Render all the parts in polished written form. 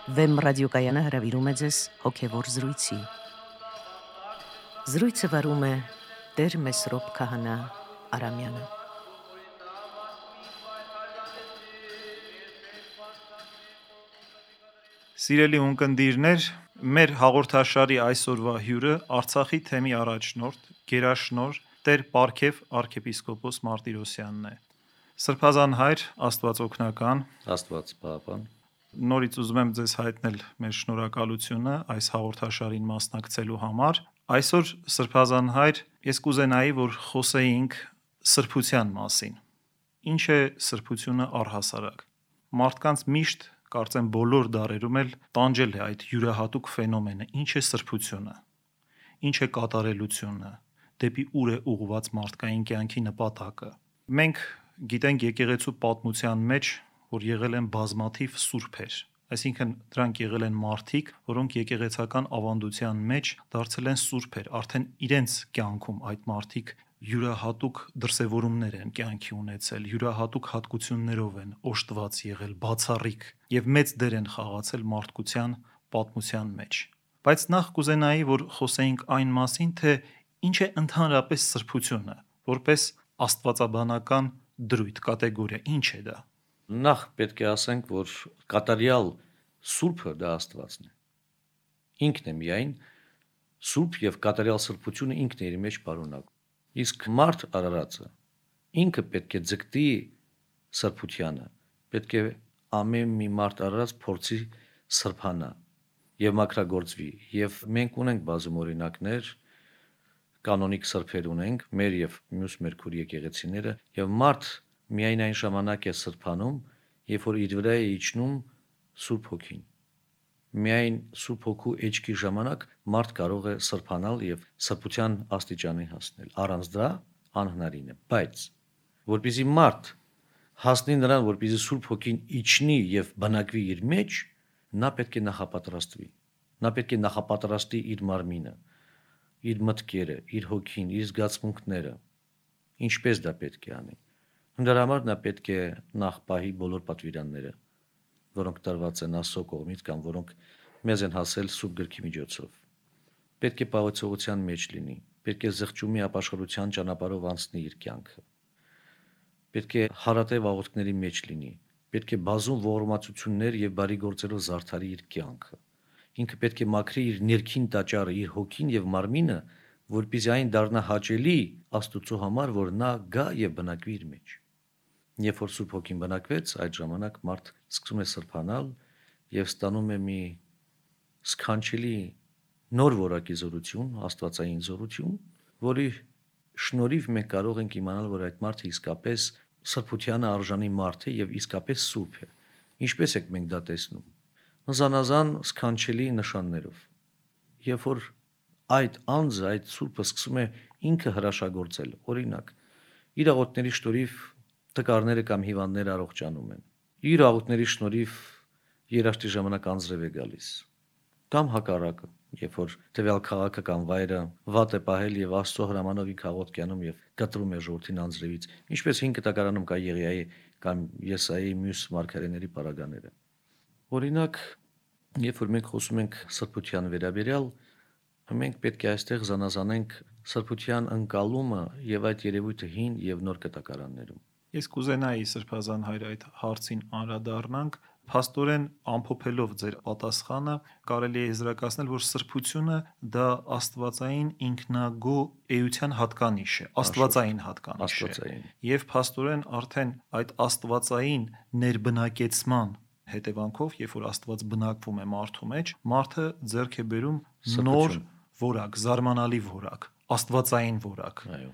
Վեմ ռադիոկայանը հրավիրում է ձեզ հոգևոր զրույցի։ Զրույցը վարում է Տեր Մեսրոպ Քահանա Արամյանը։ Սիրելի ունկնդիրներ, մեր հաղորդաշարի այսօրվա հյուրը Արցախի թեմի առաջնորդ, գերաշնորհ Տեր Պարքև arczepiskopos Մարտիրոսյանն է։ Սրբազան հայր, Աստված օգնական, Աստված պահապան։ Նորից ուզում եմ ձեզ հայտնել մեր շնորհակալությունը այս հաղորդաշարին մասնակցելու համար։ Այսօր Սրբազան հայր, ես կուզենայի, որ խոսեինք սրբության մասին։ Ինչ է սրբությունը առհասարակ։ Մարդկանց միշտ, կարծեմ բոլոր դարերում էլ տանջել է այդ յուրահատուկ ֆենոմենը։ Ինչ է սրբությունը։ Ինչ է կատարելությունը։ Դեպի ուր է ուղղված մարդկային կյանքի նպատակը։ Մենք գիտենք եկեղեցու պատմության մեջ, որ եղել են բազմաթիվ սուրբեր, այսինքն դրանք եղել են մարդիկ, որոնք եկեղեցական ավանդության մեջ դարձել են սուրբեր, արդեն իրենց կյանքում այդ մարդիկ յուրահատուկ դրսևորումներ են կյանքի ունեցել, յուրահատուկ հատկություններով են օժտված եղել, բացառիկ եւ մեծ դեր են խաղացել մարդկության պատմության մեջ։ Բայց նախ կուզենայի, որ խոսեինք այն մասին, թե ինչ է ընդհանրապես սրբությունը, որպես աստվածաբանական դրույթ, կատեգորիա, ինչ է դա։ Նախ պետք է ասենք, որ կատարյալ սուրբը դա Աստվածն է։ Ինքն է միայն սուրբ եւ կատարյալ սրբությունը ինքն է իր մեջ պարունակում։ Իսկ մարդ արարածը ինքը պետք է ձգտի սրբությանը, պետք է ամեն մի մարդ արարած փորձի սրբանա եւ մաքրագործվի։ Եվ մենք ունենք բազում օրինակներ, կանոնիկ սրբեր ունենք, մեր եւ մյուս մեր քուր եկեղեցիները, եւ մարդ միայն այն ժամանակ է սրբանում, երբ որ իր վրա է իջնում Սուրբ Հոգին։ Միայն Սուրբ Հոգու էջքի ժամանակ մարդ կարող է սրբանալ եւ սրբության աստիճանի հասնել։ Առանց դրա անհնարին է։ Բայց որպեսզի մարդ հասնի նրան, որպեսզի Սուրբ Հոգին իջնի եւ բնակվի իր մեջ, նա պետք է նախապատրաստվի։ Նա պետք է նախապատրաստի իր մարմինը, իր մտքերը, իր հոգին, իր զգացմունքները։ Ինչպես դա պետք է անի։ Դրա համար նա պետք է նախ պահի բոլոր պատվիրանները, որոնք տրված են Աստծո կողմից կամ որոնք մեզ են հասել Սուրբ Գրքի միջոցով։ Պետք է պահոցողության մեջ լինի, պետք է զղջումի ապաշխարության ճանապարհով անցնի իր կյանքը։ Պետք է հարատև աղոթքների մեջ լինի, պետք է բազում ողորմածություններ եւ բարի գործերով զարդարի իր կյանքը։ Ինքը պետք է մաքրի իր ներքին տաճարը, իր հոգին եւ մարմինը, որպեսզի այն դառնա հաճելի Աստծո համար, որ նա գա եւ բնակվի իր մեջ։ Երբ որ Սուրբ Հոգին բնակվեց, այդ ժամանակ մարդ սկսում է սրբանալ եւ ստանում է մի սքանչելի նոր որակի զորություն, աստվածային զորություն, որի շնորհիվ մենք կարող ենք իմանալ, որ այդ մարդը իսկապես սրբությանը արժանի մարդ է եւ իսկապես սուրբ է։ Ինչպես եք մենք դա տեսնում։ Զանազան սքանչելի նշաններով։ Երբ որ այդ անձը, այդ սուրբը սկսում է ինքը հրաշագործել, օրինակ, իր աղոթների շնորհիվ տկարները կամ հիվանդները առողջանում են։ Իր աղոթների շնորհիվ երաշտի ժամանակ անձրև է գալիս։ Կամ հակառակը, երբ որ տվյալ քաղաքը կամ վայրը վատ է պահել եւ Աստծո հրամանով ինքը աղոթք անում եւ կտրում է ժողովրդին անձրևից, ինչպես 5 կտակարանում կա Եղիայի կամ Եսայի մյուս մարգարեների պարագաները։ Օրինակ, երբ որ մենք խոսում ենք սրբության վերաբերյալ, մենք պետք է այստեղ զանազանենք սրբության ընկալումը եւ այդ երևույթը հին եւ նոր կտակարաններում։ Ես կուզենայի Սրբազան հայր այդ հարցին անդրադառնանք, փաստորեն ամփոփելով ձեր պատասխանը, կարելի է եզրակացնել, որ սրբությունը դա աստվածային ինքնագո էության հատկանիշ է, աստվածային հատկանիշ է։ Եվ փաստորեն արդեն այդ աստվածային ներբնակեցման հետևանքով, երբ որ Աստված բնակվում է մարդու մեջ, մարդը ձեռք է բերում նոր որակ, զարմանալի որակ, աստվածային որակ։ Այո։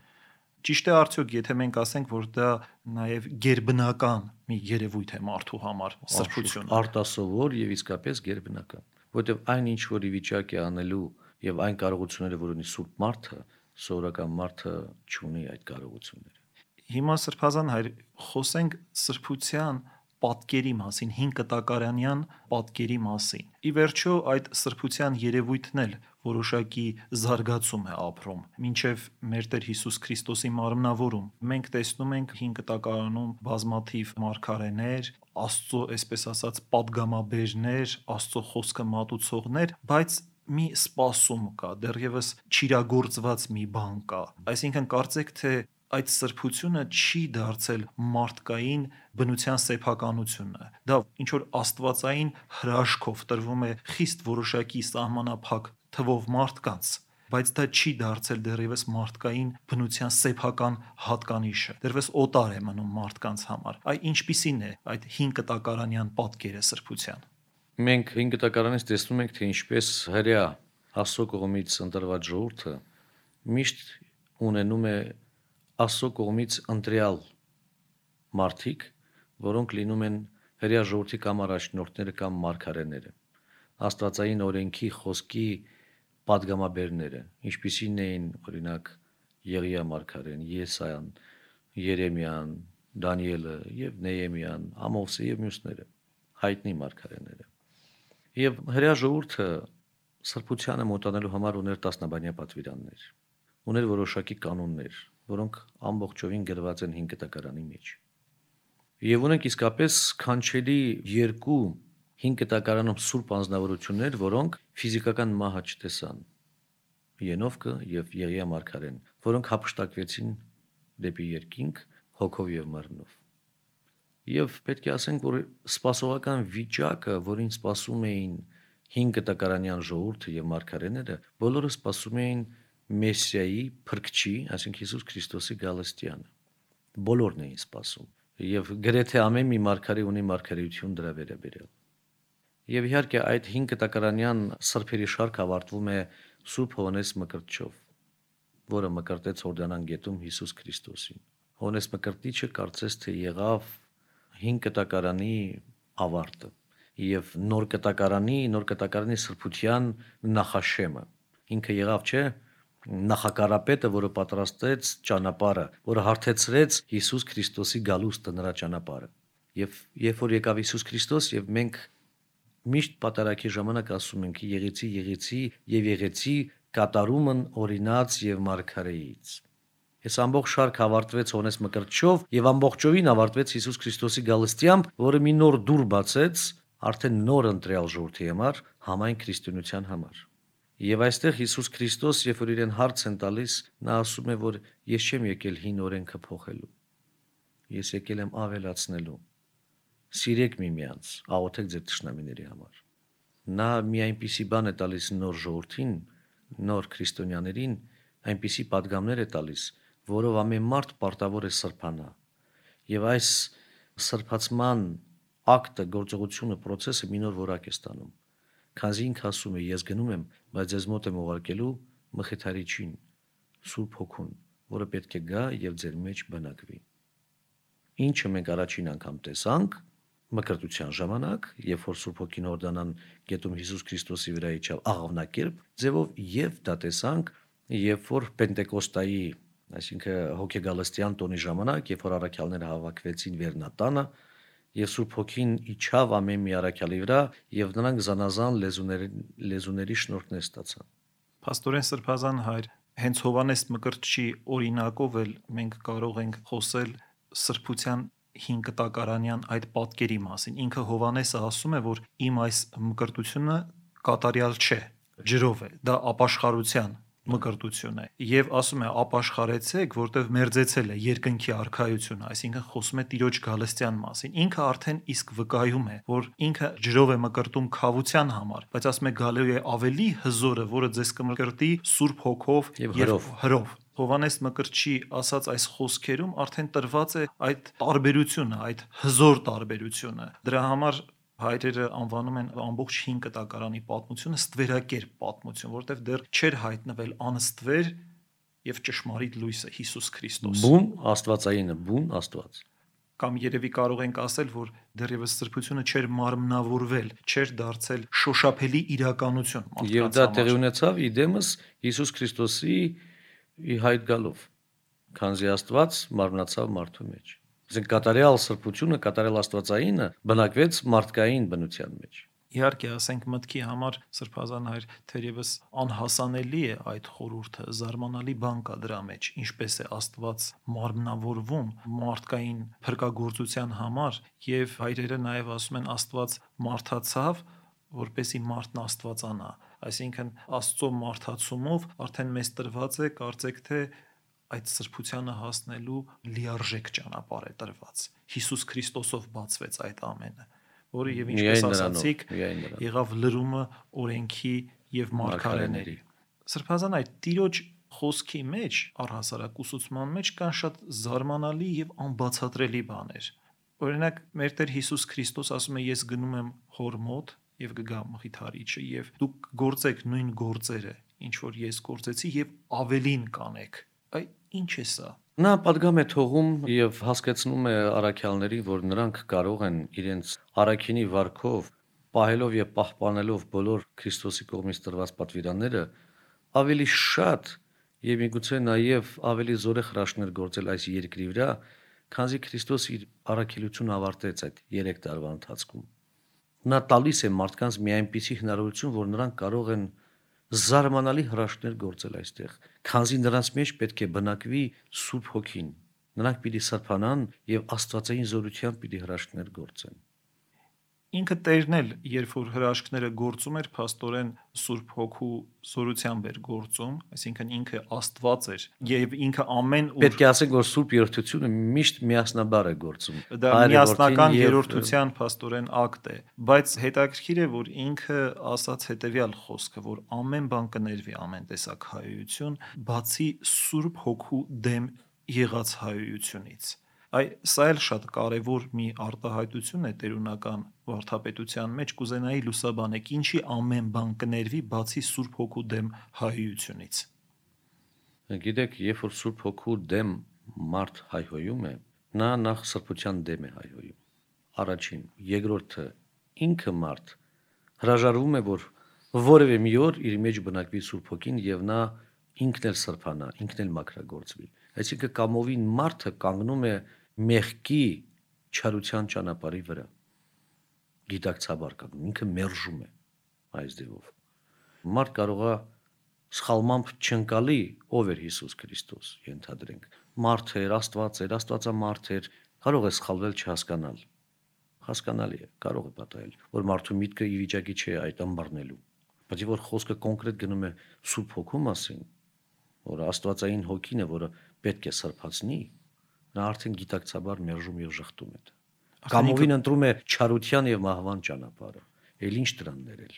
Ճիշտ է արդյոք, եթե մենք ասենք, որ դա նաև գերբնական մի երևույթ է մարդու համար, սրբությունը։ Արտասովոր եւ իսկապես գերբնական, որտեղ այն ինչ որ ի վիճակ է անելու եւ այն կարողությունները, որ ունի սուրբ մարդը, սովորական մարդը չունի այդ կարողությունները։ Հիմա Սրբազան հայր, խոսենք սրբության պատկերի մասին, 5 կտակարանյան պատկերի մասին։ Ի վերջո այդ սրբության երևույթն էլ որոշակի զարգացում է ապրում, մինչև մեր Տեր Հիսուս Քրիստոսի մարմնավորում։ Մենք տեսնում ենք 5 կտակարանում բազմաթիվ մարգարեներ, Աստծո, այսպես ասած, падգամաբերներ, Աստծո խոսքը մատուցողներ, բայց մի սպասում կա, դեռևս չիրագործված մի բան կա։ Այսինքն կարծեք թե այդ սրբությունը չի դարձել մարդկային բնության սեփականությունը։ Դա ինչ որ աստվածային հրաշքով տրվում է խիստ որոշակի սահմանափակ թվով մարդկանց, բայց դա չի դարձել դեռևս մարդկային բնության սեփական հատկանիշը։ Դեռևս օտար է մնում մարդկանց համար։ Այ ինչպիսին է այդ 5 կտակարանյան պատկերը սրբության։ Մենք 5 կտակարանից տեսնում ենք, թե ինչպես հրեա Աստծո կողմից ընտրված ժողովուրդը միշտ ունենում է Աստծո կողմից ընտրյալ մարդիկ, որոնք լինում են հրեա ժողովրդի կամ առաջնորդները կամ մարգարեները, աստվածային օրենքի խոսքի падգամաբերները, ինչպիսին էին օրինակ Եղիա մարգարեն, Եսայան, Երեմիան, Դանիելը եւ Նեհեմիան, Ամոսը եւ մյուսները, հայտնի մարգարեները։ Եվ հրեա ժողովուրդը սրբությանը մոտանալու համար ուներ տասնաբանյա պատվիրաններ, ուներ որոշակի կանոններ, որոնք ամբողջովին գրված են 5 կտակարանի մեջ։ Եվ ունենք իսկապես քանչելի 2 5 կտակարանում սուրբ անձնավորություններ, որոնք ֆիզիկական մահը չտեսան, Ենովկը եւ Եղիա մարգարեն, որոնք հափշտակվեցին դեպի երկինք հոգով եւ մեռնով։ Եվ պետք է ասենք, որ սպասողական վիճակը, որին սպասում էին 5 կտակարանյան ժողովուրդը եւ մարգարեները, բոլորը սպասում էին Մեսիայի, Փրկչի, այսինքն Հիսուս Քրիստոսի գալստյանը։ Բոլորն էին սպասում։ Եվ գրեթե ամեն մի մարգարե ունի մարգարեություն դրա վերաբերյալ։ Եվ իհարկե այդ 5 կտակարանյան սրբերի շարքը ավարտվում է Սուրբ Հովհաննես Մկրտչով, որը մկրտեց Հորդանան գետում Հիսուս Քրիստոսին։ Հովհաննես Մկրտիչը կարծես թե եղավ 5 կտակարանի ավարտը եւ նոր կտակարանի սրբության նախաշեմը։ Ինքը եղավ, չէ, նախակարապետը, որը պատրաստեց ճանապարհը, որը հարթեցրեց Հիսուս Քրիստոսի գալուստը, նրա ճանապարհը։ Եվ երբ որ եկավ Հիսուս Քրիստոս եւ մենք միշտ պատարագի ժամանակ ասում ենք եղեցի կատարումն օրինաց եւ մարգարեից։ Այս ամբողջ շարքը ավարտվեց Հովհաննես Մկրտչով եւ ամբողջովին ավարտվեց Հիսուս Քրիստոսի գալստյամբ, որը մի նոր դուր բացեց արդեն նոր ընտրյալ ժողովրդի համար, համայն քրիստոնեության համար։ Եվ այստեղ Հիսուս Քրիստոս, երբ որ իրեն հարց են տալիս, նա ասում է, որ ես չեմ եկել հին օրենքը փոխելու։ Ես եկել եմ ավելացնելու։ Սիրեք միմյանց, աղոթեք ձեր թշնամիների համար։ Նա մի այնպիսի բան է տալիս նոր ժողովրդին, նոր քրիստոնյաներին, այնպիսի падգամներ է տալիս, որով ամեն մարդ պարտավոր է սրբանա։ Եվ այս սրբացման ակտը, գործողությունը, process-ը մի նոր որակ է ստանում։ Քանզի ինքը ասում է, ես գնում եմ, բայց ձեզ մոտ եմ ուղարկելու Մխիթարիչին, Սուրբ Հոգուն, որը պետք է գա եւ ձեր մեջ բնակվի։ Ինչը մենք առաջին անգամ տեսանք մկրտության ժամանակ, երբ որ Սուրբ Հոգին Հորդանան գետում Հիսուս Քրիստոսի վրա իջավ աղավնակերպ ձևով, եւ դա տեսանք, երբ որ Պենտեկոստայի, այսինքն հոգեգալստյան տոնի ժամանակ, երբ որ առաքյալները հավաքվեցին Վերնատանը, եւ Սուրբ Հոգին իջավ ամեն մի առաքյալի վրա, եւ նրանք զանազան լեզուների շնորհքներ ստացան։ Փաստորեն Սրբազան հայր, հենց Հովհաննես Մկրտչի օրինակով էլ մենք կարող ենք խոսել սրբության 5 կտակարանյան այդ պատկերի մասին։ Ինքը Հովհաննեսը ասում է, որ իմ այս մկրտությունը կատարյալ չէ, ջրով է, դա ապաշխարության մկրտություն է, եւ ասում է ապաշխարեցեք, որտեվ մերձեցել է երկնքի արքայությունը, այսինքն խոսում է Տիրոջ գալստյան մասին։ Ինքը արդեն իսկ վկայում է, որ ինքը ջրով է մկրտում քավության համար, բայց ասում է գալու է ավելի հզորը, որը ձեզ կմկրտի Սուրբ Հոգով եւ հրով։ Հովհաննես Մկրտչի ասած այս խոսքերում արդեն տրված է այդ տարբերությունը, այդ հզոր տարբերությունը։ Դրա համար հայրերը անվանում են ամբողջ 5 կտակարանի պատմությունը ստվերակերպ պատմություն, որտեղ դեռ չէր հայտնվել անստվեր եւ ճշմարիտ լույսը Հիսուս Քրիստոս։ Բուն աստվածայինը, բուն Աստված։ Կամ երևի կարող ենք ասել, որ դեռևս սրբությունը չէր մարմնավորվել, չէր դարձել շոշափելի իրականություն մարդկանց համար։ Եվ դա տեղի ունեցավ իդեմս Հիսուս Քրիստոսի հայտ գալով, քանզի Աստված մարմնացավ մարդու մեջ։ Այսինքն կատարյալ սրբությունը, կատարյալ աստվածայինը բնակվեց մարդկային բնության մեջ։ Իհարկե, ասենք մտքի համար Սրբազան հայր թերևս անհասանելի է այդ խորհուրդը, զարմանալի բան կա դրա մեջ, ինչպես է Աստված մարմնավորվում մարդկային փրկagorցության համար, եւ հայրերը նաև ասում են Աստված մարդացավ, որպեսի մարդն Աստվածանա, այսինքն Աստծո մարդացումով արդեն մեզ տրված է, կարծեք թե այդ սրբությանը հասնելու լիարժեք ճանապարհ է տրված։ Հիսուս Քրիստոսով բացվեց այդ ամենը, որը եւ ինչպես ասացիք, եղավ լրումը օրենքի եւ մարգարեների։ Սրբազան այդ Տիրոջ խոսքի մեջ, առհասարակ ուսուցման մեջ կան շատ զարմանալի եւ անբացատրելի բաներ։ Օրինակ, մեր Տեր Հիսուս Քրիստոս ասում է. ես գնում եմ Հոր մոտ եւ կգամ Մխիթարիչը եւ դուք գործեք նույն գործերը, ինչ որ ես գործեցի եւ ավելին կանեք։ Այ ինչ է սա։ Նա պատգամ է թողում եւ հասկացնում է առաքյալներին, որ նրանք կարող են իրենց առաքինի վարքով, պահելով եւ պահպանելով բոլոր Քրիստոսի կողմից տրված պատվիրանները, ավելի շատ եւ միգուցե նաեւ ավելի զորեղ հրաշքներ գործել այս երկրի վրա, քանզի Քրիստոս իր առաքելությունը ավարտեց այդ 3 տարվա ընթացքում։ Նա տալիս է մարդկանց մի այնպիսի հնարավորություն, որ նրանք կարող են զարմանալի հրաշքներ գործել այստեղ, քանզի նրանց մեջ պետք է բնակվի Սուրբ Հոգին։ Նրանք պիտի սրբանան եւ աստվածային զորությամբ պիտի հրաշքներ գործեն։ Ինքը Տերն էլ, երբ որ հրաշքները գործում էր, փաստորեն Սուրբ Հոգու զորությամբ էր գործում, այսինքն ինքը Աստված էր եւ ինքը ամեն ուր պետք է ասենք, որ Սուրբ Երրորդությունը միշտ միասնաբար է գործում։ Դա միասնական երրորդության փաստորեն ակտ է, բայց հետաքրքիր է, որ ինքը ասաց հետեւյալ խոսքը, որ ամեն բան կներվի ամեն տեսակ հայություն, բացի Սուրբ Հոգու դեմ եղած հայությունից։ Սա էլ շատ կարևոր մի արտահայտություն է տերունական վարդապետության մեջ, կուզենայի լուսաբանեք, ինչի ամեն բան կներվի բացի Սուրբ Հոգու դեմ հայությունից։ Գիտեք, երբ որ Սուրբ Հոգու դեմ մարդ հայհոյում է, նա նախ սրբության դեմ է հայհոյում։ Առաջին, երկրորդը, ինքը մարդ հրաժարվում է, որ որևէ մի օր իր մեջ բնակվի Սուրբ Հոգին եւ նա ինքն էլ սրբանա, ինքն էլ մաքրագործվի։ Այսինքն կամովին մարդը կանգնում է մեղքի չարության ճանապարհի վրա, գիտակցաբար կանգնում, ինքը մերժում է այս ձևով։ Մարդ կարող է սխալմամբ չընկալի ով էր Հիսուս Քրիստոս, ենթադրենք, մարդ էր, Աստված էր, Աստվածամարդ էր, կարող է սխալվել չհասկանալ։ Հասկանալի է, կարող է պատահել, որ մարդու միտքը ի վիճակի չէ այդ ըմբռնելու։ Բայց որ խոսքը կոնկրետ գնում է Սուրբ Հոգու մասին, որ Աստվածային Հոգին է, որը պետք է սրբացնի, նա արդեն գիտակցաբար մերժում եւ ժխտում է։ Կամովին ընտրում է չարության եւ մահվան ճանապարհը։ Էլ ինչ դրան ներել։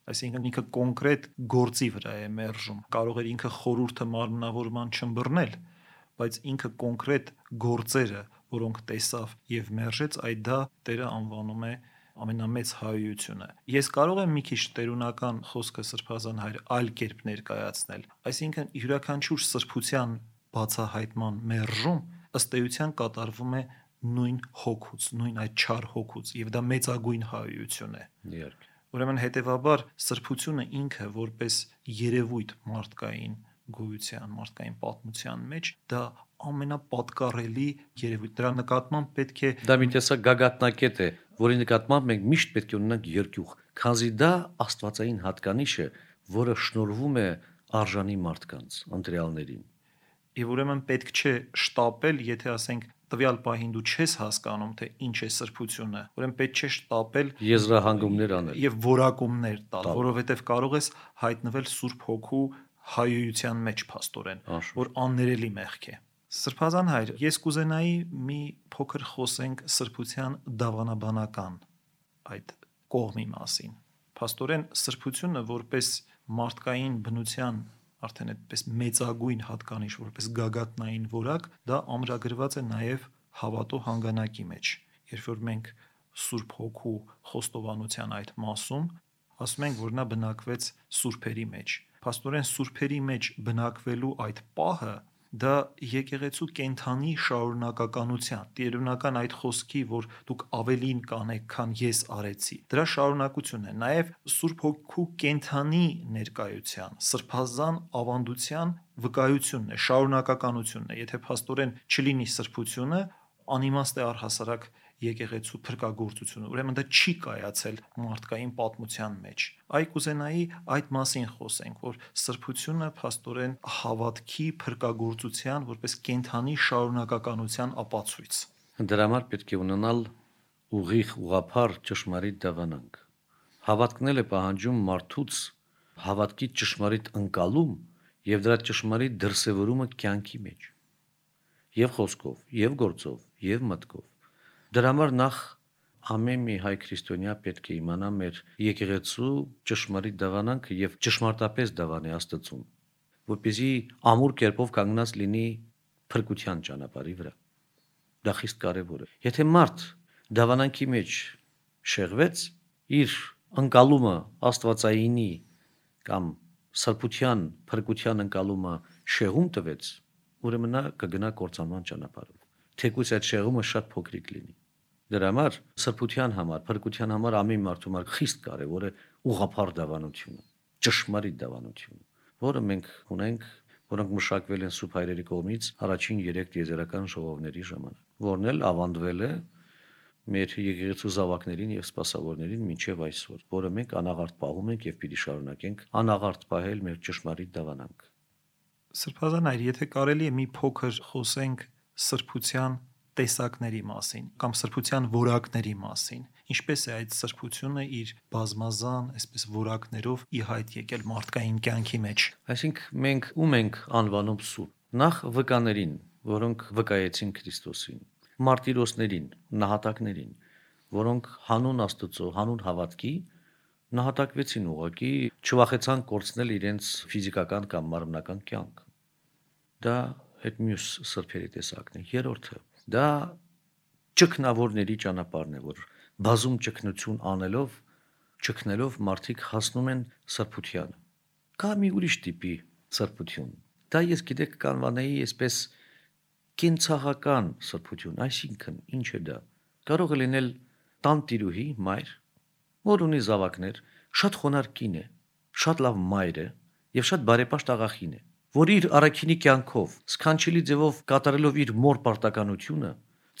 Այսինքն ինքը կոնկրետ գործի վրա է մերժում։ Կարող էր ինքը խորհուրդը մարմնավորման չըմբռնել, բայց ինքը կոնկրետ գործերը, որոնք տեսավ եւ մերժեց, այդ դա Տերը անվանում է ամենամեծ հայությունը։ Ես կարող եմ մի քիչ տերունական խոսքը Սրբազան հայր այլ կերպ ներկայացնել։ Այսինքն յուրաքանչյուր սրբության բացահայտման մերժում ըստ էության կատարվում է նույն հոգուց, նույն այդ չար հոգուց, եւ դա մեծագույն հայություն է։ Իհարկե։ Ուրեմն հետեւաբար սրբությունը ինքը որպես երևույթ մարդկային գոյության, մարդկային պատմության մեջ դա ամենապատկառելի երևույթ։ Դրա նկատմամբ պետք է դա մի տեսակ գագաթնակետ է, որի նկատմամբ մենք միշտ պետք է ունենանք երկյուղ, քանզի դա աստվածային հատկանիշ է, որը շնորհվում է արժանի մարդկանց, ընտրյալներին։ Եվ ուրեմն պետք չէ շտապել, եթե ասենք տվյալ պահին դու չես հասկանում, թե ինչ է սրբությունը, ուրեմն պետք չէ շտապել եզրահանգումներ անել եւ որակումներ տալ, որովհետեւ կարող ես հայտնվել Սուրբ Հոգու հայության մեջ փաստորեն, որ աններելի մեղք է։ Սրբազան հայր, ես կուզենայի մի փոքր խոսենք սրբության դավանաբանական այդ կողմի մասին։ Փաստորեն սրբությունը որպես մարդկային բնության արդեն այդպես մեծագույն հատկանիշ, որպես գագաթնային որակ, դա ամրագրված է նաև հավատո հանգանակի մեջ։ Երբ որ մենք Սուրբ Հոգու խոստովանության այդ մասում ասում ենք, որ նա բնակվեց սուրբերի մեջ։ Փաստորեն սուրբերի մեջ բնակվելու այդ պահը դա եկեղեցու կենթանի շարունակականության, տերունական այդ խոսքի, որ դուք ավելին կանեք, քան ես արեցի, դրա շարունակությունն է, նաև Սուրբ Հոգու կենթանի ներկայության, սրբազան ավանդության վկայությունն է, շարունակականությունն է։ Եթե փաստորեն չլինի սրբությունը, անիմաստ է առհասարակ եկեղեցու փրկagorցությունը, ուրեմն դա չի կայացել մարդկային պատմության մեջ։ Այ կուզենայի այդ մասին խոսենք, որ սրբությունը փաստորեն հավատքի փրկagorցության որպես կենթանի շարունակականության ապացույց։ Դրա համար պետք է ունենալ ուղիղ ուղղափառ ճշմարիտ դավանանք։ Հավատքն է պահանջում մարդուց հավատքի ճշմարիտ ընկալում եւ դրա ճշմարիտ դրսեւորումը կյանքի մեջ։ Եվ խոսքով, եւ գործով, եւ մտքով։ Դրա համար նախ ամեն մի հայ քրիստոնյա պետք է իմանա մեր եկեղեցու ճշմարիտ դավանանքը եւ ճշմարտապես դավանի Աստծուն, որպեսզի ամուր կերպով կանգնած լինի փրկության ճանապարհի վրա։ Դա խիստ կարեւոր է։ Եթե մարդ դավանանքի մեջ շեղվեց, իր ընկալումը աստվածայինի կամ սրբության, փրկության ընկալումը շեղում տվեց, ուրեմն նա կգնա կործանման ճանապարհով։ Թեկուզ այդ շեղումը շատ փոքրիկ լինի։ Դրա համար սրբության համար, փրկության համար ամեն մարդու համար խիստ կարևոր է ուղղափառ դավանությունը, ճշմարիտ դավանությունը, որը մենք ունենք, որոնք մշակվել են սուրբ հայրերի կողմից առաջին 3 տիեզերական ժողովների ժամանակ, որն էլ ավանդվել է մեր եկեղեցու զավակներին եւ սպասավորներին մինչեւ այսօր, որը մենք անաղարտ պահում ենք եւ պիտի շարունակենք անաղարտ պահել մեր ճշմարիտ դավանանք։ Սրբազան այր, եթե կարելի է մի փոքր խոսենք սրբության տեսակների մասին կամ սրբության որակների մասին, ինչպես է այդ սրբությունը իր բազմազան, այսպես որակներով ի հայտ եկել մարդկային կյանքի մեջ։ Այսինքն մենք ում ենք անվանում սուրբ։ Նախ վկաներին, որոնք վկայեցին Քրիստոսին, մարտիրոսներին, նահատակներին, որոնք հանուն Աստծո, հանուն հավատքի նահատակվեցին ուղղակի, չվախեցան կորցնել իրենց ֆիզիկական կամ մարմնական կյանք։ Դա հետ մյուս սրբերի տեսակն է։ Երրորդը դա ճգնավորների ճանապարհն է, որ բազում ճգնություն ճգնելով մարդիկ հասնում են սրբությանը։ Կա մի ուրիշ տիպի սրբություն։ Դա ես գիտեք կանվանեի այսպես կենցաղական սրբություն, այսինքն ինչ է դա։ Կարող է լինել տանտիրուհի մայր, որ ունի զավակներ, շատ խոնարհ կին է, շատ լավ մայր է եւ շատ բարեպաշտ աղախին է, որ իր առաքինի կյանքով սքանչելի ձևով կատարելով իր մոր պարտականությունը,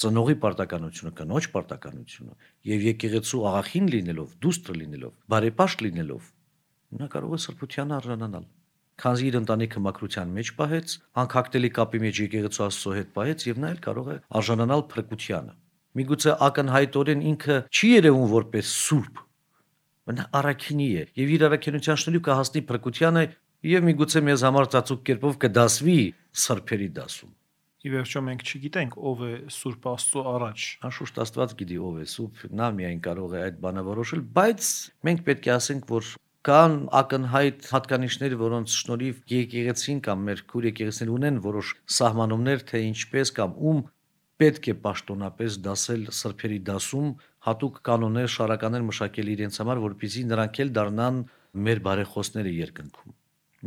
ծնողի պարտականությունը, կնոջ պարտականությունը եւ եկեղեցու աղախին լինելով, դուստր լինելով, բարեպաշտ լինելով, նա կարող է սրբության արժանանալ։ Քանզի իր ընտանիքը մաքրության մեջ պահեց, անկախտելի կապի մեջ եկեղեցու Աստծո հետ պահեց եւ նա էլ կարող է արժանանալ փրկությանը։ Միգուցե ակնհայտորեն ինքը չի երևում որպես սուրբ, նա առաքինի է եւ իր առաքինության շնորհիվ կհասնի փրկությանը եւ միգուցե մեզ համար ծածուկ կերպով կդասվի սրբերի դասում։ Ի վերջո մենք չգիտենք ով է Սուրբ Աստծո առաջ։ Անշուշտ Աստված գիտի ով է սուրբ, նա միայն կարող է այդ բանը որոշել, բայց մենք պետք է ասենք, որ կան ակնհայտ հատկանիշներ, որոնց շնորհիվ եկեղեցին կամ մեր քուր եկեղեցիներ ունեն որոշ սահմանումներ, թե ինչպես կամ ում պետք է պաշտոնապես դասել սրբերի դասում, հատուկ կանոններ, շարականներ մշակել իրենց համար, որպեսզի նրանք էլ դառնան մեր բարեխոսները երկնքում,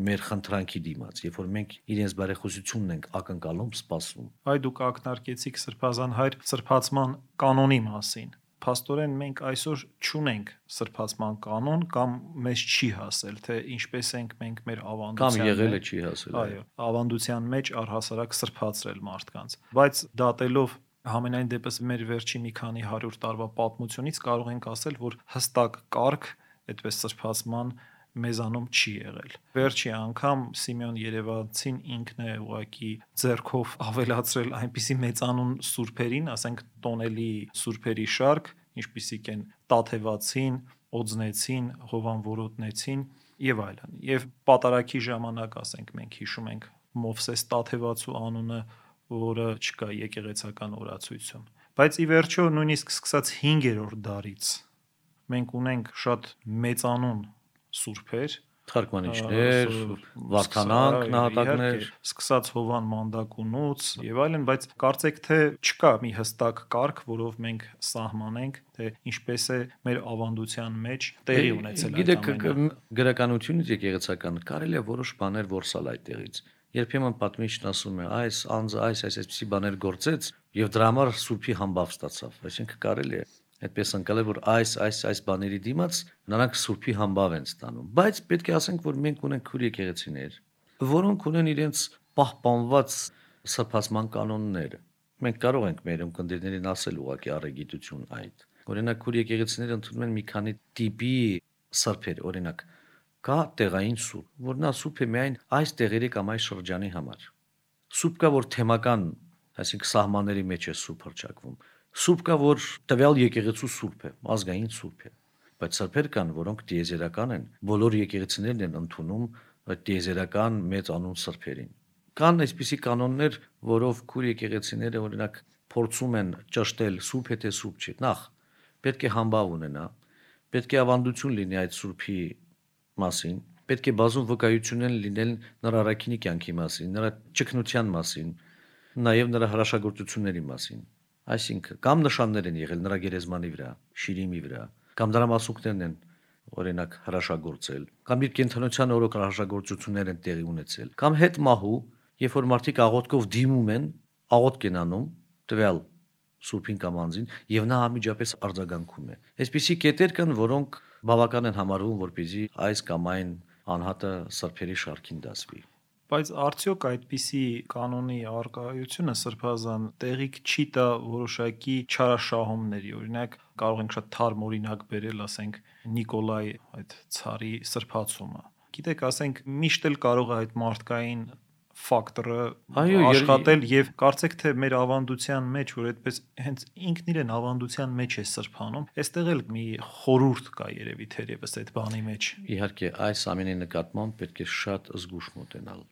մեր խնդրանքի դիմաց, երբ որ մենք իրենց բարեխոսությունն ենք ակնկալում, սպասում։ Այ դուք ակնարկեցիք Սրբազան հայր սրբացման կանոնի մասին։ Փաստորեն մենք այսօր չունենք սրբացման կանոն կամ մեզ չի հասել, թե ինչպես ենք մենք մեր ավանդության կամ եղել է չի հասել։ Այո, ավանդության մեջ առհասարակ սրբացրել մարդկանց։ Բայց դատելով համենայն դեպս մեր վերջի մի քանի 100 տարվա պատմությունից կարող ենք ասել, որ հստակ կարգ այդպես սրբացման մեզանում չի եղել։ Վերջի անգամ Սիմեոն Երևանցին ինքն է ուղակի ձեռքով ավելացրել այնպիսի մեծանուն սուրբերին, ասենք տոնելի սուրբերի շարք, ինչպիսիք են Տաթևացին, Օձնեցին, Հովանվորոտնեցին եւ այլն։ Եվ պատարագի ժամանակ, ասենք, մենք հիշում ենք Մովսես Տաթևացու անունը, որը չկա եկեղեցական օրացույցում։ Բայց ի վերջո նույնիսկ սկսած 5-րդ դարից մենք ունենք շատ մեծանուն սուրբեր, թարգմանիչներ, վարդանանք, նահատակներ, սկսած Հովան Մանդակունուց եւ այլն, բայց կարծեք թե չկա մի հստակ կարգ, որով մենք սահմանենք, թե ինչպես է մեր ավանդության մեջ տեղի ունեցել այդ ամենը։ ամենը։ Գրականությունից եկեղեցական կարելի է որոշ բաներ որսալ այդտեղից։ Երբեմն պատմիչն ասում է, այս անձը այսպիսի բաներ գործեց եւ դրա համար սուրբի համբավ ստացավ, այսինքն կարելի է այդպես անցնել, որ այս բաների դիմաց նրանք սուրբի համբավ են ստանում, բայց պետք է ասենք, որ մենք ունենք քուր եկեղեցիներ, որոնք ունեն իրենց պահպանված սրբացման կանոնները, մենք կարող ենք մեր ունկնդիրներին ասել ուղղակի առեգիտություն այդ։ Օրինակ, քուր եկեղեցիները ընդունում են մի քանի տիպի սրբեր, օրինակ, կա տեղային սուրբ, որ նա սուրբ է միայն այս տեղերի կամ այս շրջանի համար։ Սուրբ կա, որ թեմական, այսինքն սահմանների մեջ է սուրբ հռչակվում։ Սուրբ կա, որ տվյալ եկեղեցու սուրբ է, ազգային սուրբ է։ Բայց սրբեր կան, որոնք տիեզերական են, բոլոր եկեղեցիներն են ընդունում այդ տիեզերական մեծ անուն սրբերին։ Կան այսպիսի կանոններ, որով քուր եկեղեցիները օրինակ փորձում են ճշտել սուրբ է թե սուրբ չէ։ Նախ պետք է համբավ ունենա, պետք է ավանդություն լինի այդ սուրբի մասին, պետք է բազում վկայություններ լինեն նրա առաքինի կյանքի մասին, նրա ճգնության մասին, նաև նրա հրաշագործությունների մասին։ Այսինքն կամ նշաններ են եղել նրա գերեզմանի վրա, շիրիմի վրա, կամ դրամասունքներն են օրինակ հրաշագործել, կամ իր կենթանության օրոք հրաշագործություններ են տեղի ունեցել, կամ հետ մահու, երբ որ մարդիկ աղոթքով դիմում են, աղոթք են անում տվյալ սուրբին կամ անձին, եւ նա անմիջապես արձագանքում է։ Այսպիսի կետեր կան, որոնք բավական են համարվում, որպեսզի այս կամ այն անհատը սրբերի շարքին դասվի։ Բայց արդյոք այդպիսի կանոնի արկայությունը սրբազան տեղիք չի տա որոշակի չարաշահումների, օրինակ կարող ենք շատ թարմ օրինակ բերել, ասենք Նիկոլայ այդ ցարի սրբացումը։ Գիտեք, ասենք միշտ էլ կարող է այդ մարդկային ֆակտորը աշխատել եւ կարծեք թե մեր ավանդության մեջ, որ այդպես հենց ինքն իրեն ավանդության մեջ է սրբանում, այստեղ էլ մի խորհուրդ կա երևի թերևս այդ բանի մեջ։ Իհարկե, այս ամենի նկատմամբ պետք է շատ զգուշ մոտենալ։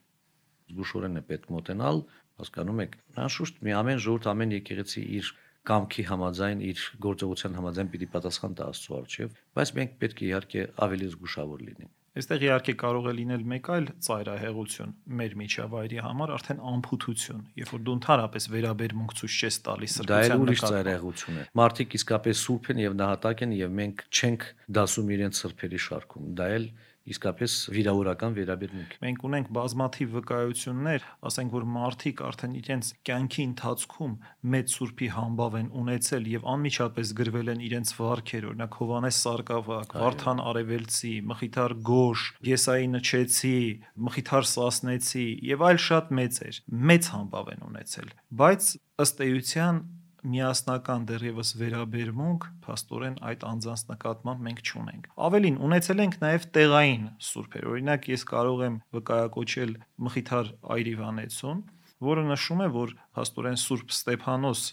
Զգուշորեն է պետք մոտենալ, հասկանում եք, անշուշտ մի ամեն ժողովուրդ, ամեն եկեղեցի իր կամքի համաձայն, իր գործողության համաձայն պիտի պատասխան տա Աստծո առջև, բայց մենք պետք է իհարկե ավելի զգուշավոր լինենք։ Այստեղ իհարկե կարող է լինել մեկ այլ ծայրահեղություն մեր միջավայրի համար, արդեն անփութություն, երբ որ դու ընդհանրապես վերաբերմունք ցույց չես տալիս սրբության նկատմամբ։ Դա էլ ուրիշ ծայրահեղություն է։ Մարդիկ իսկապես սուրբ են եւ նահատակ են եւ մենք չենք դասում իրենց սրբերի շարքում։ Դա էլ իսկապես վիրավորական վերաբերմունք։ Մենք ունենք բազմաթիվ վկայություններ, ասենք որ մարդիկ արդեն իրենց կյանքի ընթացքում մեծ սուրբի համբավ են ունեցել եւ անմիջապես գրվել են իրենց վարքեր, օրինակ Հովանես Սարգսակ, Վարդան Արևելցի, Մխիթար Գոշ, Եսայի Նչեցի, Մխիթար Սասնեցի եւ այլ շատ մեծեր, մեծ համբավ են ունեցել, բայց ըստ էության միասնական դեռևս վերաբերմունք փաստորեն այդ անձանց նկատմամբ մենք չունենք։ Ավելին, ունեցել ենք նաև տեղային սուրբեր։ Օրինակ, ես կարող եմ վկայակոչել Մխիթար Այրիվանեցուն, որը նշում է, որ փաստորեն Սուրբ Ստեփանոս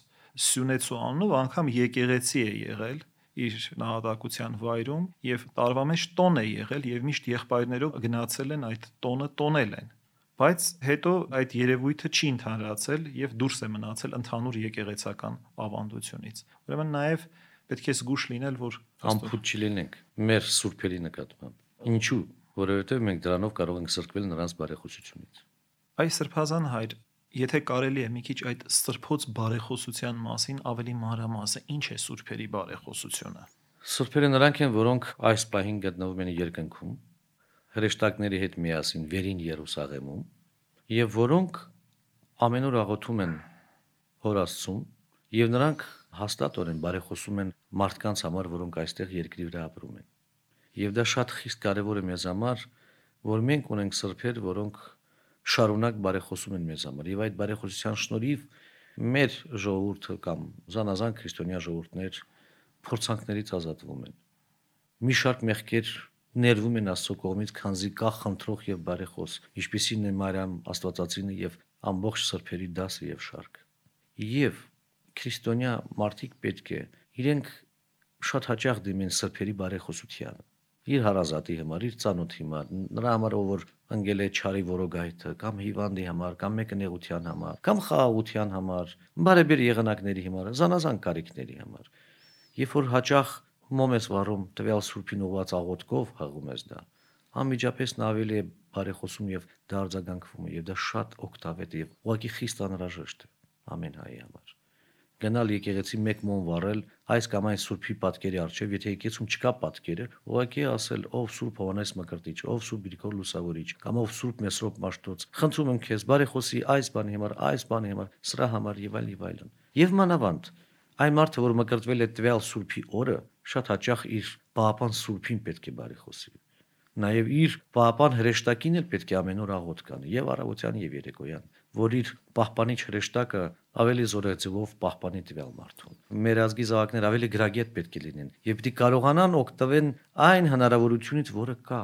Սյունեցու անունով անգամ եկեղեցի է եղել իր նահատակության վայրում եւ տարվա մեջ տոն է եղել եւ միշտ եղբայրներով գնացել են այդ տոնը տոնել են։ Բայց հետո այդ երևույթը չի ընդհանրացել եւ դուրս է մնացել ընդհանուր եկեղեցական ավանդությունից։ Ուրեմն նաեւ պետք է զգուշ լինել, որ անփույթ չլինենք մեր սուրբերի նկատմամբ։ Ինչու՞, որովհետեւ մենք դրանով կարող ենք սրբել նրանց բարեխոսությունից։ Այս սրբազան հայր, եթե կարելի է մի քիչ այդ սրբոց բարեխոսության մասին ավելի մանրամասն, ինչ է սուրբերի բարեխոսությունը։ Սուրբերը նրանք են, որոնք այս պահին գտնվում են երկնքում, հրեշտակների հետ միասին վերին Երուսաղեմում, եւ որոնք ամեն օր աղոթում են Հոր Աստծուն, եւ նրանք հաստատորեն բարեխոսում են մարդկանց համար, որոնք այստեղ երկրի վրա ապրում են։ Եվ դա շատ խիստ կարևոր է մեզ համար, որ մենք ունենք սրբեր, որոնք շարունակ բարեխոսում են մեզ համար, եւ այդ բարեխոսության շնորհիվ մեր ժողովուրդը կամ զանազան քրիստոնյա ժողովուրդներ փորձանքներից ազատվում են։ Մի շարք մեղքեր ներվում են Աստծո կողմից, քանզի կա խնդրող եւ բարեխոս, ինչպիսին է Մարիամ Աստվածածինը եւ ամբողջ սրբերի դասը եւ շարք։ Եվ քրիստոնյա մարդիկ պետք է իրենք շատ հաճախ դիմեն սրբերի բարեխոսությանը։ Իր հարազատի համար, իր ծանոթի համար, նրա համար, ով որ ընկել է չարի որոգայթը, կամ հիվանդի համար, կամ մեկը նեղության համար, կամ խաղաղության համար, բարեբեր եղանակների համար, զանազան կարիքների համար։ Երբ որ հաճախ մոմ ես վառում տվյալ սուրբին ուղված աղոթքով հղում ես դա, անմիջապես նա ավելի է բարեխոսում եւ դա արձագանքվում է եւ դա շատ օգտավետ է եւ ուղղակի խիստ անհրաժեշտ է ամեն հայի համար։ Գնալ եկեղեցի մեկ մոմ վառել այս կամ այն սուրբի պատկերի առջև, եթե եկեղեցում չկա պատկերը, ուղղակի ասել ով Սուրբ Հովանես Մկրտիչ, ով Սուրբ Գրիգոր Լուսավորիչ, կամ ով Սուրբ Մեսրոպ Մաշտոց, խնդրում եմ քեզ բարեխոսի այս բանի համար, այս բանի համար, սրա համար եւ այլն։ Եվ մանավանդ այն մարդը, որ մկրտվել է տվյալ սուրբի օրը, շատ հաճախ իր պահապան սուրբին պետք է բարեխոսի։ Նաև իր պահապան հրեշտակին էլ պետք է ամեն օր աղոթք անի, եւ առավոտյան եւ երեկոյան, որ իր պահպանիչ հրեշտակը ավելի զորեղ ձևով պահպանի տվյալ մարդուն։ Մեր ազգի զավակներ ավելի գրագետ պետք է լինեն եւ պիտի կարողանան օգտվել այն հնարավորությունից, որը կա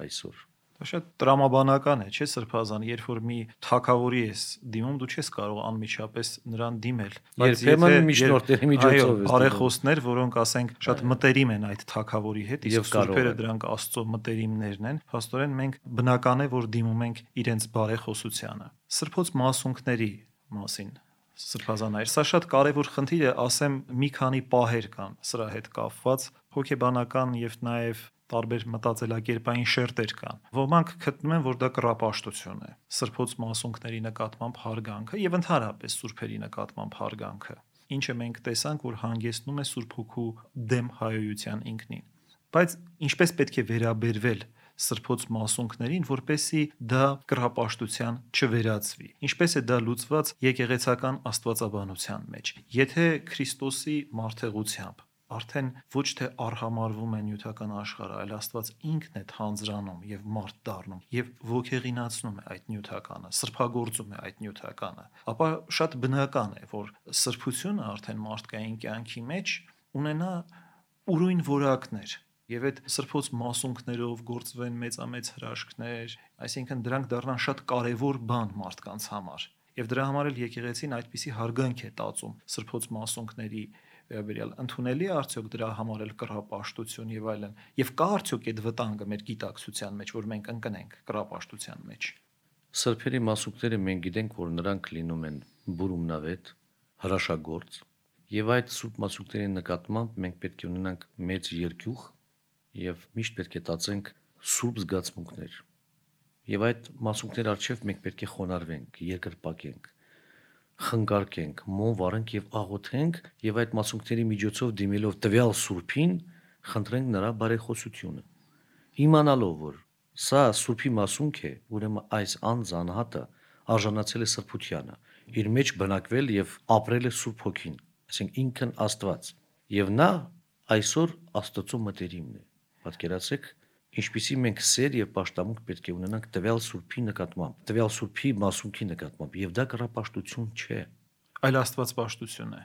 այսօր։ Դա շատ տրամաբանական է, չէ՞ Սրբազան, երբ որ մի թագավորի ես դիմում, դու չես կարող անմիջապես նրան դիմել, երբեմն միջնորդների միջոցով ես բարեխոսներ, որոնք ասենք շատ մտերիմ են այդ թագավորի հետ, իսկ սուրբերը դրանք Աստծո մտերիմներն են, փաստորեն մենք բնական է, որ դիմում ենք իրենց բարեխոսությանը։ Սրբոց մասունքների մասին Սրբազան այր, սա շատ կարևոր խնդիր է, ասեմ, մի քանի պահեր կան սրա հետ կապված, հոգեբանական եւ նաեւ տարբեր մտածելակերպային շերտեր կան։ Ոմանք գտնում են, որ դա կռապաշտություն է, սրբոց մասունքների նկատմամբ հարգանքը եւ ընդհանրապես սուրբերի նկատմամբ հարգանքը, ինչը մենք տեսանք, որ հանգեցնում է Սուրբ Հոգու դեմ հայոյության ինքնին։ Բայց ինչպես պետք է վերաբերվել սրբոց մասունքներին, որպեսզի դա կռապաշտության չվերածվի։ Ինչպես է դա լուծված եկեղեցական աստվածաբանության մեջ։ Եթե Քրիստոսի մարդեղությամբ արդեն ոչ թե արհամարվում է նյութական աշխարհը, այլ Աստված ինքն է թանձրանում եւ մարդ դառնում եւ ոգեղինացնում է այդ նյութականը, սրբագործում է այդ նյութականը, ապա շատ բնական է, որ սրբությունը արդեն մարդկային կյանքի մեջ ունենա ուրույն որակներ եւ այդ սրբոց մասունքներով գործվեն մեծամեծ հրաշքներ, այսինքն դրանք դառնան շատ կարեւոր բան մարդկանց համար։ Եվ դրա համար էլ եկեղեցին այդպիսի հարգանք է տածում սրբոց մասունքների վերաբերյալ, ընդունելի է արդյոք դրա համար էլ կռապաշտություն եւ այլն, եւ կա արդյոք այդ վտանգը մեր գիտակցության մեջ, որ մենք ընկնենք կռապաշտության մեջ։ Սրբերի մասունքները մենք գիտենք, որ նրանք լինում են բուրումնավետ, հրաշագործ, եւ այդ սուրբ մասունքների նկատմամբ մենք պետք է ունենանք մեծ երկյուղ եւ միշտ պետք է տածենք սուրբ զգացմունքներ։ Եվ այդ մասունքների առջև մենք պետք է խոնարհվենք, երկրպագենք, խնկարկենք, մոմ վարենք եւ աղոթենք եւ այդ մասունքների միջոցով դիմելով տվյալ սուրբին խնդրենք նրա բարեխոսությունը, իմանալով որ սա սուրբի մասունք է, ուրեմն այս անձանհատը արժանացել է սրբությանը, իր մեջ բնակվել եւ ապրել է Սուրբ Հոգին, այսինքն ինքն Աստված, եւ նա այսօր Աստծո մտերիմն է։ Պատկերացրեք, ինչպիսի մենք սեր եւ պաշտամունք պետք է ունենանք տվյալ սուրբի նկատմամբ, տվյալ սուրբի մասունքի նկատմամբ, եւ դա կռապաշտություն չէ, այլ աստվածպաշտություն է։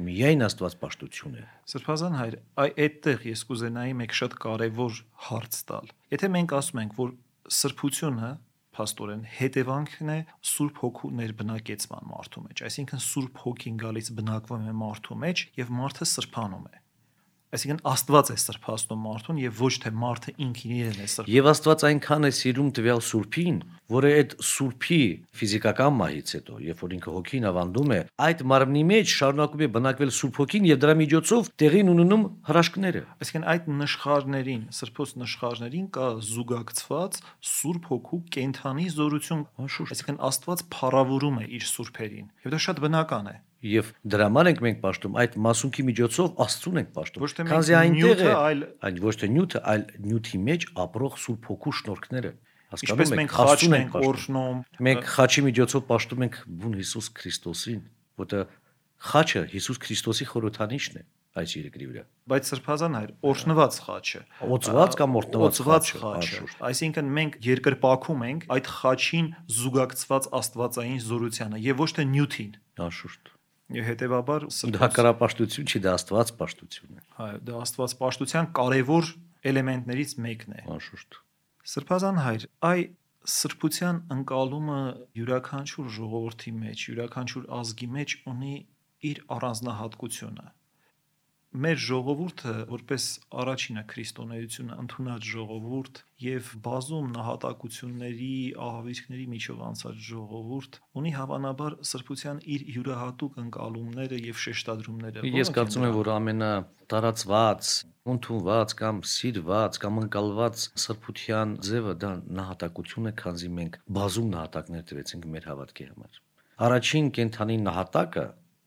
Միայն աստվածպաշտություն է։ Սրբազան հայր, այդտեղ ես կուզենայի մեկ շատ կարևոր հարց տալ։ Եթե մենք ասում ենք, որ սրբությունը փաստորեն հետևանքն է Սուրբ Հոգու ներբնակեցման մարդու մեջ, այսինքն Սուրբ Հոգին գալիս բնակվում է մարդու մեջ եւ մարդը սրբանում է։ Այսինքն Աստված է սրբացնում մարդուն եւ ոչ թե մարդը ինքն իրեն է սրբանում։ Եվ Աստված այնքան է սիրում տվյալ սուրբին, որ այդ սուրբի ֆիզիկական մահից հետո, երբ որ ինքը հոգին ավանդում է, այդ մարմնի մեջ շարունակում է բնակվել Սուրբ Հոգին եւ դրա միջոցով տեղին ունենում հրաշքները։ Այսինքն այդ նշխարներին, սրբոց նշխարներին կա զուգակցված Սուրբ Հոգու կենթանի զորություն, այսինքն Աստված փառավորում է իր սուրբերին եւ դա շատ բնական է։ Եվ դրա համար ենք մենք պաշտում, այդ մասունքի միջոցով Աստծուն ենք պաշտում։ Ոչ թե այնտեղ է, այլ ոչ թե նյութը, այլ նյութի մեջ ապրող Սուրբ Հոգու շնորհքները։ Ինչպես մենք խաչն ենք օրհնում, մենք խաչի միջոցով պաշտում ենք բուն Հիսուս Քրիստոսին, որտեղ խաչը Հիսուս Քրիստոսի խորհրդանիշն է այս երկրի վրա։ Բայց Սրբազան հայր, օրհնված խաչը, օծված կամ օրհնված խաչը, այսինքն մենք երկրպագում ենք այդ խաչին զուգակցված աստվածային զորությանը եւ ոչ թե նյութին։ Անշուշտ։ Եվ հետեւաբար դա կռապաշտություն չի, դա աստվածպաշտություն է։ Այո, դա աստվածպաշտության կարևոր էլեմենտներից մեկն է։ Անշուշտ։ Սրբազան հայր, սրբության ընկալումը յուրաքանչյուր ժողովրդի մեջ, յուրաքանչյուր ազգի մեջ ունի իր առանձնահատկությունը։ Մեր ժողովուրդը, որպես առաջինը քրիստոնեությունը ընդունած ժողովուրդ եւ բազում նահատակությունների, ահավիրքների միջով անցած ժողովուրդ, ունի հավանաբար սրբության իր յուրահատուկ ընկալումները եւ շեշտադրումները։ Ես կարծում եմ, որ ամենատարածված, ընդունված կամ սիրված կամ ընկալված սրբության ձևը դա նահատակություն է, քանզի մենք բազում նահատակներ տվեցինք մեր հավատքի համար։ Առաջին կենթանի նահատակը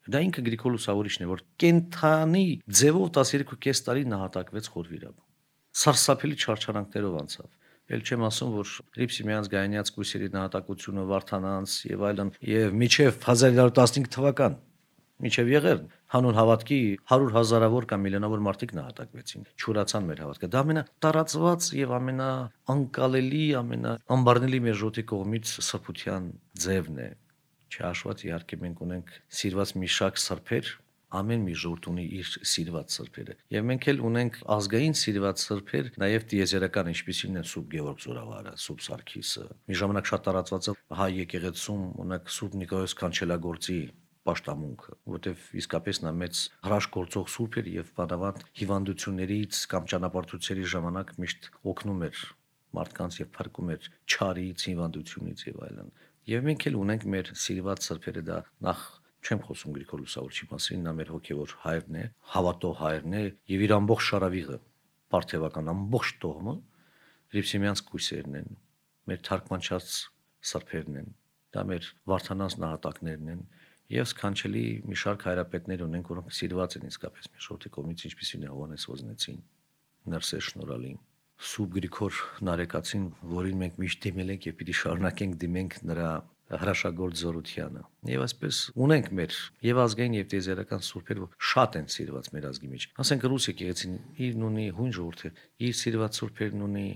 դա ինքը Գրիգոր Լուսավորիչն է, որ կենթանի ձևով 12.5 տարի նահատակվեց խորվիրաբում։ Սարսափելի չարչարանքներով անցավ։ Էլ չեմ ասում, որ Լիպսիմյանց Գայանյաց կույսերի նահատակությունը, Վարդանանց եւ այլն, եւ մինչեւ 1915 թվական, մինչեւ Եղեռն, հանուն հավատքի 100,000-ավոր կամ միլիոնավոր մարդիկ նահատակվեցին, չորացան մեր հավատքը։ Դա ամենատարածված եւ ամենաանկալելի, ամենաանբարնելի մեր ժողովրդի կողմից սրբության ձևն է։ Չհաշված իհարկե մենք ունենք սիրված մի շարք սրբեր, ամեն մի ժողովուրդ ունի իր սիրված սրբերը։ Եվ մենք էլ ունենք ազգային սիրված սրբեր, նաև տիեզերական, ինչպիսին են Սուրբ Գևորգ Զորավարը, Սուրբ Սարգիսը։ Մի ժամանակ շատ տարածված է հայ եկեղեցում ունենք Սուրբ Նիկolaos Կանչելագործի պաշտամունքը, որտեղ իսկապես նա մեծ հրաշքորձող սուրբ էր եւ բանավանդ հիվանդություններից կամ ճանապարհորդությունների ժամանակ միշտ օգնում էր մարդկանց եւ փրկում էր չարից, հիվանդությունից եւ այլն։ Եվ մենք էլ ունենք մեր սիրված սրբերը, դա նախ չեմ խոսում Գրիգոր Լուսավորչի մասին, նա մեր հոգևոր հայրն է, հավատող հայրն է եւ իր ամբողջ շարավիղը, Պարթևական ամբողջ տոհմը Հրիփսիմյանց կույսերն են, մեր թարգմանչած սրբերն են, դա մեր Վարդանանց նահատակներն են եւ սքանչելի մի շարք հայրապետներ ունենք, որոնք սիրված են իսկապես մեր շորթի կողմից, ինչպիսին է Հովհաննես Ոզնեցին, Ներսես Շնորհալին, Սուրբ Գրիգոր Նարեկացին, որին մենք միշտ դիմել ենք եւ պիտի շարունակենք դիմենք նրա հրաշագործ զորությանը։ Եվ այսպես ունենք մեր եւ ազգային եւ տիեզերական սուրբեր, որ շատ են սիրված մեր ազգի մեջ։ Ասենք Ռուս եկեղեցին իրն ունի, հույն ժողովուրդը իր սիրված սուրբերն ունի։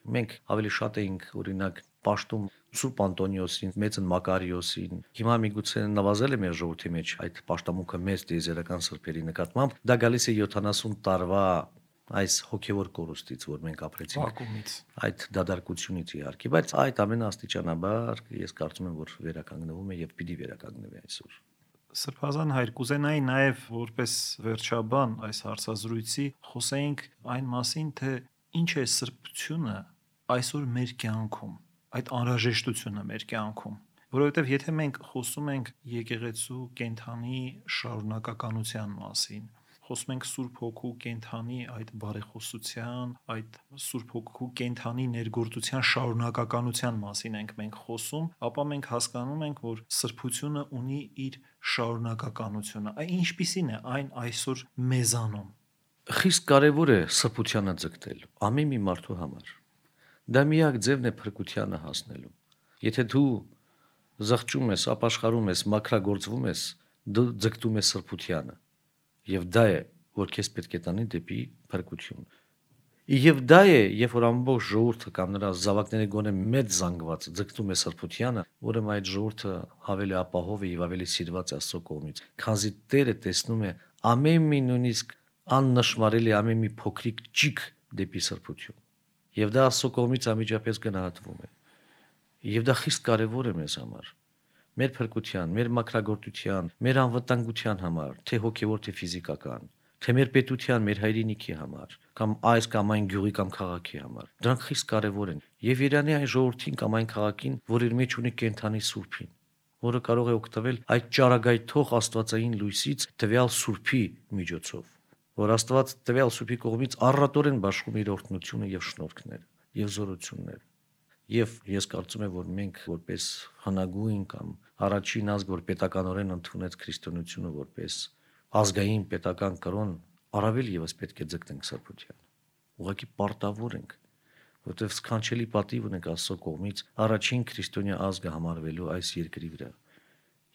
Մենք ավելի շատ էինք օրինակ պաշտում Սուրբ Անտոնիոսին, Մեծն Մակարիոսին։ Հիմա միգուցե նվազել է մեր ժողովրդի մեջ այդ պաշտամունքը մեր տիեզերական սրբերի նկատմամբ։ Դա գալիս է 70 տարվա այս հոգևոր կորուստից, որ մենք ապրեցինք, այդ դադարկությունից իհարկե, բայց այդ ամենը աստիճանաբար ես կարծում եմ, որ վերականգնվում է եւ պիտի վերականգնվի այսօր։ Սրբազան հայր, կուզենայի նաև որպես վերջաբան այս հարցազրույցի խոսեինք այն մասին, թե ինչ է սրբությունը այսօր մեր կյանքում, այդ անհրաժեշտությունը մեր կյանքում, որովհետև եթե մենք խոսում ենք եկեղեցու կենթանի շարունակականության մասին, խոսում ենք Սուրբ Հոգու կենթանի այդ բարեխոսության, այդ Սուրբ Հոգու կենթանի ներգործության շարունակականության մասին ենք մենք խոսում, ապա մենք հասկանում ենք, որ սրբությունը ունի իր շարունակականությունը։ Այն ինչպիսին է այն այսօր մեզանում։ Խիստ կարևոր է սրբությանը ձգտել ամեն մի մարդու համար։ Դա միակ ձևն է փրկությանը հասնելու։ Եթե դու զղջում ես, ապաշխարում ես, մաքրագործվում ես, դու ձգտում ես սրբությանը։ Եվ դա է, որ քեզ պետք է տանի դեպի փրկություն։ Եվ դա է, երբ որ ամբողջ ժողովուրդը կամ նրա զավակները գոնե մեծ զանգված ձգտում է սրբությանը, ուրեմն այդ ժողովուրդը ավելի ապահով է եւ ավելի սիրված է Աստծո կողմից, քանզի Տերը տեսնում է ամեն մի նույնիսկ աննշմարելի ամեն մի փոքրիկ ճիգ դեպի սրբություն։ Եվ դա Աստծո կողմից անմիջապես գնահատվում է։ Եվ դա խիստ կարևոր է մեզ համար։ Մեր փրկության, մեր մաքրագործության, մեր անվտանգության համար, թե հոգևոր, թե ֆիզիկական, թե մեր պետության, մեր հայրենիքի համար, կամ այս կամ այն գյուղի կամ քաղաքի համար։ Դրանք խիստ կարևոր են։ Եվ Իրանի այն ժողովրդին կամ այն քաղաքին, որ իր մեջ ունի կենթանի սուրբին, որը կարող է օգտվել այդ ճառագայթող աստվածային լույսից տվյալ սուրբի միջոցով, որ Աստված տվյալ սուրբի կողմից առատորեն բաշխում իր օրհնությունը եւ շնորհքները եւ զորությունները։ Եվ ես կարծում եմ, որ մենք որպես հնագույն կամ առաջին ազգ, որ պետականորեն ընդունեց քրիստոնեությունը որպես ազգային պետական կրոն, առավել եւս պետք է ձգտենք սրբության։ Ուղղակի պարտավոր ենք, որտեղ սքանչելի պատիվ ունենք Աստծո կողմից առաջին քրիստոնյա ազգը համարվելու այս երկրի վրա։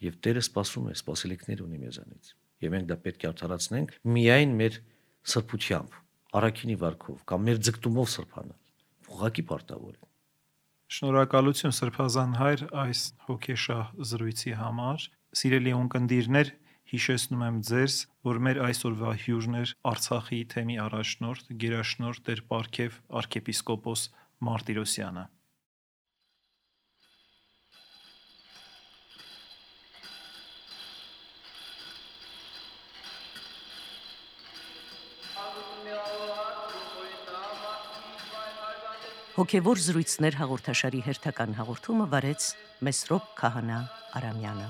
Եվ Տերը սպասում է, սպասելիքներ ունի մեզանից։ Եվ մենք դա պետք է արդարացնենք միայն մեր սրբությամբ, առաքինի վարքով կամ մեր ձգտումով սրբանալ։ Ուղղակի պարտավոր ենք։ Շնորհակալություն Սրբազան հայր այս հոգեշահ զրույցի համար։ Սիրելի ունկնդիրներ, հիշեցնում եմ ձեզ, որ մեր այսօրվա հյուրն էր Արցախի թեմի առաջնորդ, գերաշնորհ Տեր Պարքև arczepiskopos Martirosyan-ը։ Հոգևոր զրույցներ հաղորդաշարի հերթական հաղորդումը վարեց Մեսրոպ Քահանա Արամյանը։